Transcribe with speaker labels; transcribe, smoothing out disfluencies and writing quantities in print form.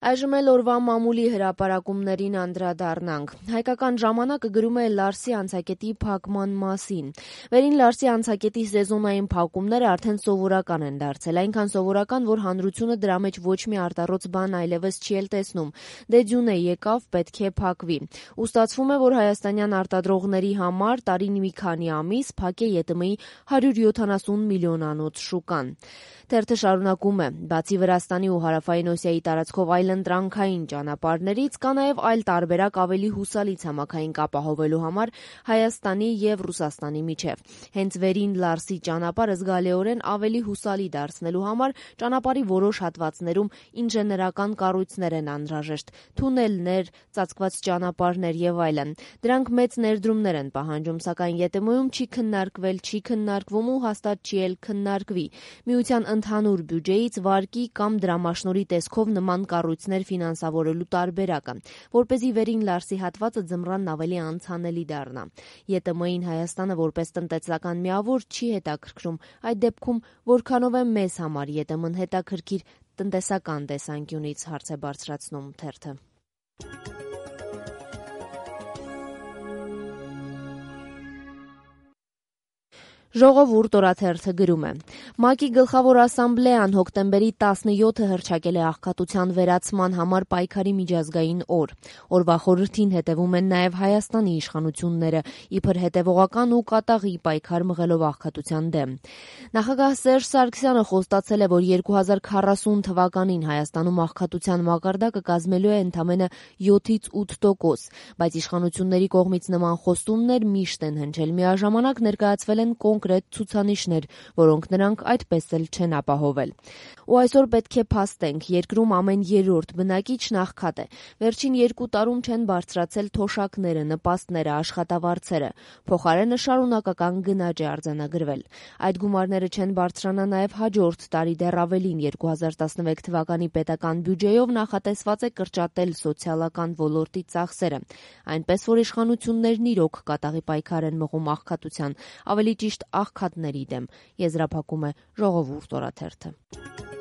Speaker 1: Այժմ էլ օրվա մամուլի հրապարակումներին անդրադառնանք։ Հայկական ժամանակը գրում է Լարսի անցակետի փակման մասին։ Վերին Լարսի անցակետի սեզոնային փակումները արդեն սովորական են դարձել, այնքան սովորական, որ հանրությունը դրա մեջ ոչ մի արտառոց բան այլևս չի էլ տեսնում։ Դե ձյուն է եկավ, պետք է փակվի։ Ու ստացվում է, որ հայաստանյան արտադրողների համար տարին մի քանի ամիս փակ է ԵՏՄ-ի 170 միլիոնանոց շուկան։ Թերթը շարունակում է. բացի Վրաստանի ու Հարավային Օսիայի տարածքով այլընտրանքային ճանապարհներից կա նաև այլ տարբերակ ավելի հուսալի ցամաքային կապ ապահովելու համար Հայաստանի եւ Ռուսաստանի միջև։ Հենց վերին Լարսի ճանապարհը զգալիորեն ավելի հուսալի դարձնելու համար ճանապարհի որոշ հատվածներում ինժեներական կառույցներ են անհրաժեշտ՝ թունելներ, ծածկված ճանապարհներ եւ այլն։ Դրանք մեծ ներդրումներ են պահանջում, սակայն ԵՏՄ-ում չի քննարկվում ու հաստատ չի էլ քննարկվի։ Միության ընդհանուր բյուջեից վարկի կամ դրամաշնորհի տեսքով նման կառույցներ ֆինանսավորելու տարբերակը, որպեսզի վերին Լարսի հատվածը ձմռանն ավելի անցանելի դառնա։ ԵՏՄ-ին Հայաստանը որպես տնտեսական միավոր չի հետաքրքրում, այդ դեպքում որքանով է մեզ համար ԵՏՄ-ն հետաքրքիր տնտեսական տեսանկյունից, հարց է բարձրացնում թերթը։ Ժողովուրդ օրաթերթը գրում է. ՄԱԿ-ի գլխավոր ասամբլեան հոկտեմբերի 17-ը հռչակել է աղքատության վերացման համար պայքարի միջազգային օր։ Օրվա խորհրդին հետևում են նաև Հայաստանի իշխանությունները, իբր հետևողական ու կատաղի պայքար մղելով աղքատության դեմ։ Նախագահ Սերժ Սարգսյանը խոստացել է, որ 2040 թվականին Հայաստանում աղքատության մակարդակը կազմելու է ընդամենը 7-8%, բայց իշխանությունների կողմից նման խոստումներ միշտ են հնչել, միաժամանակ ներկայացվել են կոնկրետ ցուցանիշներ, որոնք նրանք այդպես էլ չեն ապահովել։ Ու այսօր պետք է փաստենք, երկրում ամեն երրորդ բնակիչ աղքատ է։ Վերջին 2 տարում չեն բարձրացել թոշակները, նպաստները, աշխատավարձերը։ Փոխարենը շարունակական գնաճ է արձանագրվել։ Այդ գումարները չեն բարձրանա նաև հաջորդ տարի, դեռ ավելին 2016 թվականի պետական բյուջեով նախատեսված է կրճատել սոցիալական ոլորտի ծախսերը։ Այնպես որ իշխանություններն իրոք կատաղի պայքար են մղում աղքատության, ավելի ճիշտ աղքատների դեմ, եզրափակում է Ժողովուրդ օրաթերթը։